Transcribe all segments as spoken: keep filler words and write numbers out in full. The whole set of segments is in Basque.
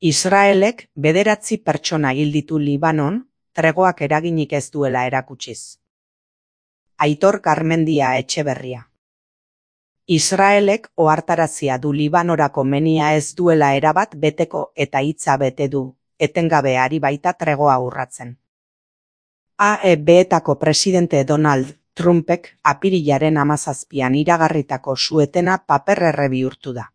Israelek bederatzi pertsona hil ditu Libanon, tregoak eraginik ez duela erakutsiz. Aitor Garmendia Etxeberria. Israelek ohartarazia du Libanorako menia ez duela erabat beteko eta hitza bete du, etengabe ari baita tregoa urratzen. A E B-etako presidente Donald Trumpek apirilaren hamazazpian iragarritako su-etena paper-erre bihurtu da.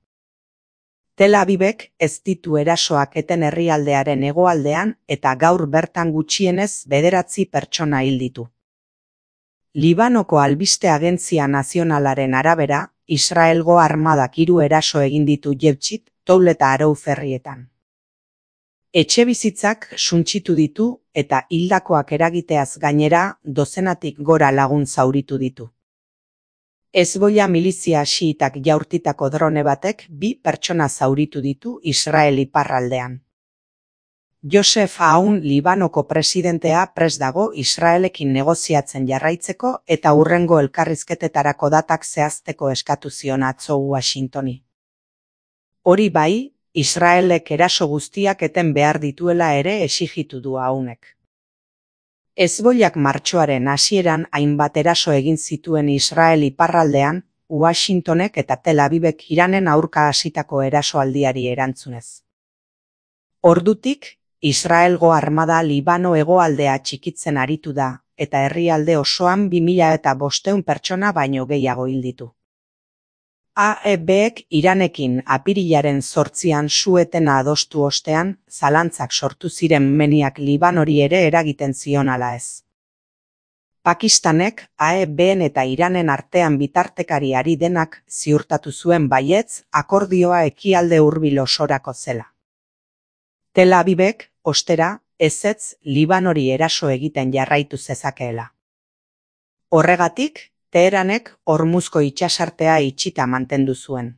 Tel Avivek ez ditu erasoak eten herrialdearen hegoaldean eta gaur bertan gutxienez bederatzi pertsona hil ditu. Libanoko albiste agentzia nazionalaren arabera, Israelgo armadak hiru eraso egin ditu Jebtxit, Toul eta Arou ferrietan. Etxebizitzak suntsitu ditu eta hildakoak eragiteaz gainera dozenatik gora lagun zauritu ditu. Hezbollah milizia xiitak jaurtitako drone batek bi pertsona zauritu ditu Israel iparraldean. Josef Aoun Libanoko presidentea prest dago Israelekin negoziatzen jarraitzeko eta hurrengo elkarrizketetarako datak zehazteko eskatu zion atzo Washingtoni. Hori bai, Israelek eraso guztiak eten behar dituela ere exigitu du Aounek. Hezbollak martxoaren hasieran hainbat eraso egin zituen Israel iparraldean, Washingtonek eta Tel Avivek Iranen aurka hasitako erasoaldiari erantzunez. Ordutik, Israelgo armada Libano hegoaldea txikitzen aritu da, eta herrialde osoan bi mila eta bostehun pertsona baino gehiago hil ditu. A E Bek Iranekin apirilaren zortzian su-etena adostu ostean, zalantzak sortu ziren meniak Libanori ere eragiten zion ala ez. Pakistanek A E Ben eta Iranen artean bitartekari ari denak ziurtatu zuen baietz akordioa ekialde hurbil osorako zela. Tel Avivek, ostera, ezetz Libanori eraso egiten jarraitu zezakeela. Horregatik, Teheranek Hormuzko itsasartea itxita mantendu zuen.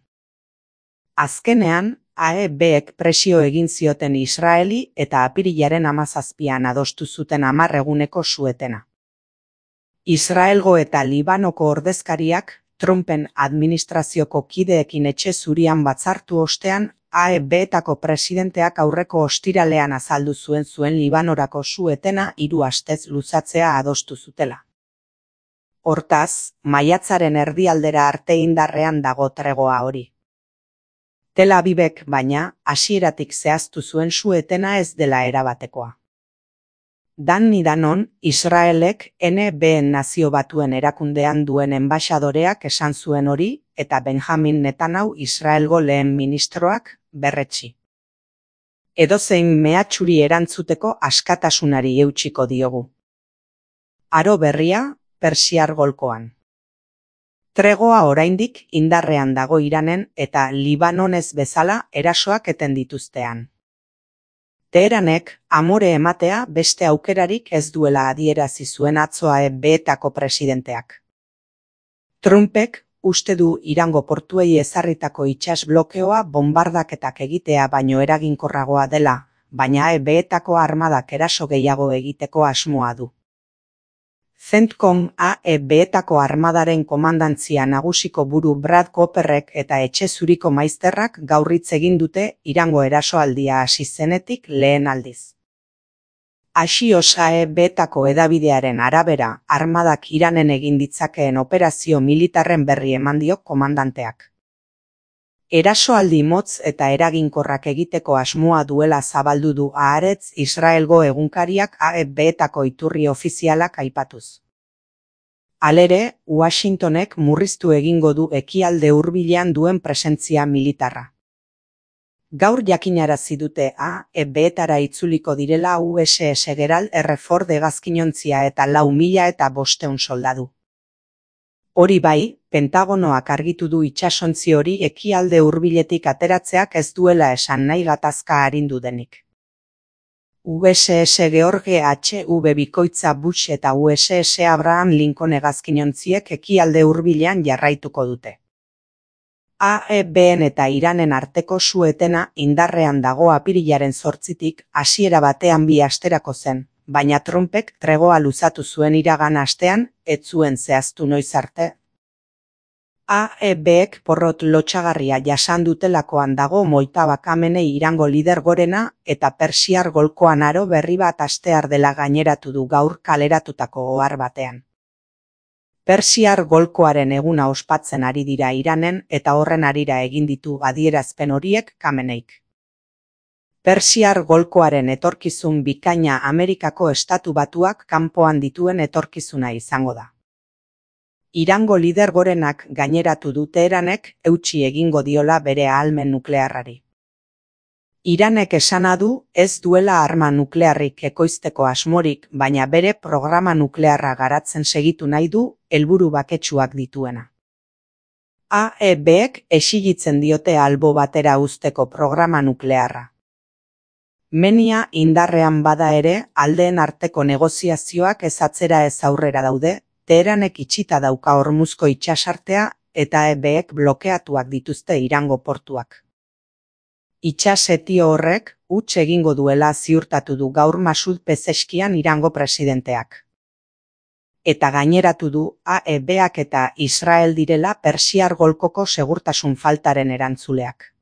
Azkenean, A E Bek presio egin zioten Israeli eta apirilaren hamazazpian adostu zuten hamar eguneko su-etena. Israelgo eta Libanoko ordezkariak Trumpen administrazioko kideekin etxe zurian batzartu ostean, A E B-etako presidenteak aurreko ostiralean azaldu zuen zuen Libanorako su-etena hiru astez luzatzea adostu zutela. Hortaz, maiatzaren erdialdera arte indarrean dago tregoa hori. Tel Avivek, baina, hasieratik zehaztu zuen su-etena ez dela erabatekoa. Dani Danon, Israelek N B-en Nazio Batuen erakundean duen enbaxadoreak esan zuen hori, eta Benjamin Netanyahu Israelgo lehen ministroak berretsi. Edozein mehatxuri erantzuteko askatasunari eutsiko diogu. Aro berria, Persiar golkoan. Tregoa oraindik indarrean dago Iranen eta Libanonez bezala erasoak eten dituztean. Teheranek amore ematea beste aukerarik ez duela adierazi zuen atzo A E B-etako presidenteak. Trumpek uste du Irango portuei ezarritako itsas blokeoa bonbardaketak egitea baino eraginkorragoa dela, baina A E B-etako armadak eraso gehiago egiteko asmoa du. CENTCOM A E B-etako armadaren komandantzia nagusiko buru Brad Cooperrek eta etxe zuriko maizterrak gaur hitz egin dute Irango erasoaldia hasi zenetik lehen aldiz. Axios A E B-etako hedabidearen arabera, armadak Iranen egin ditzakeen operazio militarren berri eman dio komandanteak. Erasoaldi motz eta eraginkorrak egiteko asmoa duela zabaldu du Haaretz Israelgo egunkariak A E B-etako iturri ofizialak aipatuz. Halere, Washingtonek murriztu egingo du ekialde hurbilean duen presentzia militarra. Gaur jakinarazi dute A E B-etara itzuliko direla U S S Gerald R. Ford hegazkinontzia eta lau mila eta bostehun soldadu. Hori bai, Pentagonoak argitu du itsasontzi hori ekialde hurbiletik ateratzeak ez duela esan nahi gatazka arindu denik. U S S George H W bikoitza Bush eta U S S Abraham Lincoln hegazkinontziek ekialde hurbilean jarraituko dute. A E Ben eta Iranen arteko su-etena indarrean dago apirilaren zortzitik hasiera batean bi asterako zen, baina Trumpek tregoa luzatu zuen iragan astean, ez zuen zehaztu noiz arte. A E Bek porrot lotsagarria jasan dutelakoan dago Mojtaba Khamenei Irango lider gorena eta Persiar golkoan aro berri bat hastear dela gaineratu du gaur kaleratutako ohar batean. Persiar golkoaren eguna ospatzen ari dira Iranen eta horren harira egin ditu adierazpen horiek Khameneik. Persiar golkoaren etorkizun bikaina Amerikako Estatu Batuak kanpoan dituen etorkizuna izango da. Irango lider gorenak gaineratu du Teheranek eutsi egingo diola bere ahalmen nuklearrari. Iranek esana du ez duela arma nuklearrik ekoizteko asmorik, baina bere programa nuklearra garatzen segitu nahi du helburu baketsuak dituena. A E Bek exigitzen diote albo batera uzteko programa nuklearra. Menia indarrean bada ere, aldeen arteko negoziazioak ez atzera ez aurrera daude, Teheranek itxita dauka Hormuzko itsasartea eta A E Bek blokeatuak dituzte Irango portuak. Itsasetio horrek huts egingo duela ziurtatu du gaur Masoud Pezeshkian Irango presidenteak. Eta gaineratu du A E Bak eta Israel direla Persiar golkoko segurtasun faltaren erantzuleak.